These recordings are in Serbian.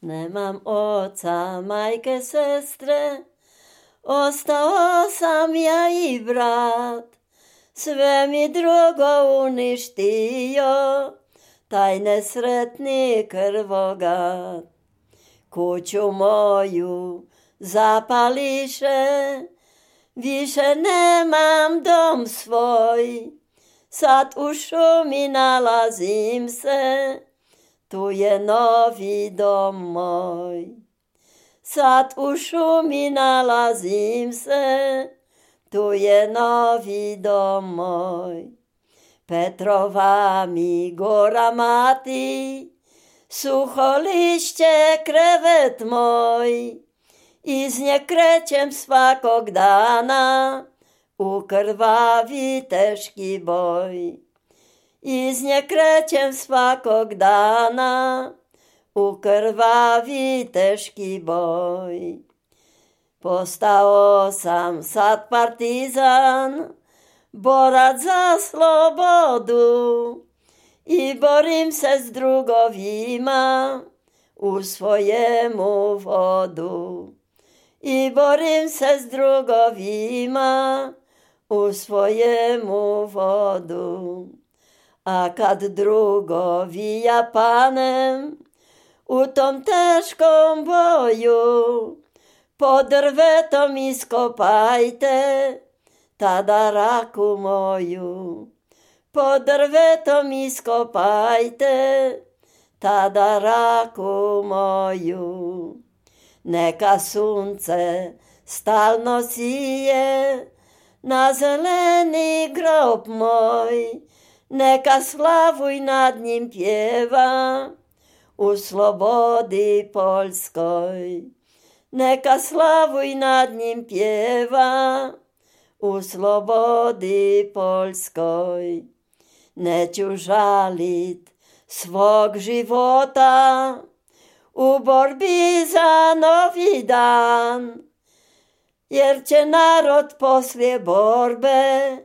Nemám oca, majke, sestre, ostao sam ja i brat. Sve mi drugo uništio, taj nesretni krvogat. Kuću moju zapališe, više nemam dom svoj. Sad u šumi nalazim se, tu je novi dom moj. Sad u šumi nalazim se, tu je novi dom moj. Petrova mi gora mati, suho lišće krevet moj. Iz nje krećem svakog dana, u krvavi teški boj. Iz nje krećem svakog dana, u krvavi teški boj. Postao sam sad partizan, borac za slobodu i borim se s drugovima u svojemu vodu. I borim se s drugovima u svojemu vodu. A kad drugovi ja panem u tom teškom boju, pod drvetom iskopajte tada raku moju. Pod drvetom iskopajte tada raku moju. Neka sunce stalno sije na zeleni grob moj, neka slavuj nad njim pjeva u slobodi Poljskoj. Neka slavuj nad njim pjeva u slobodi Poljskoj. Neću žalit svog života u borbi za novi dan, jer će narod poslije borbe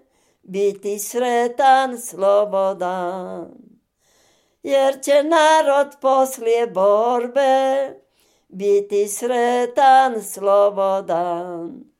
biti sretan, slobodan. Jer će narod poslije borbe biti sretan, slobodan.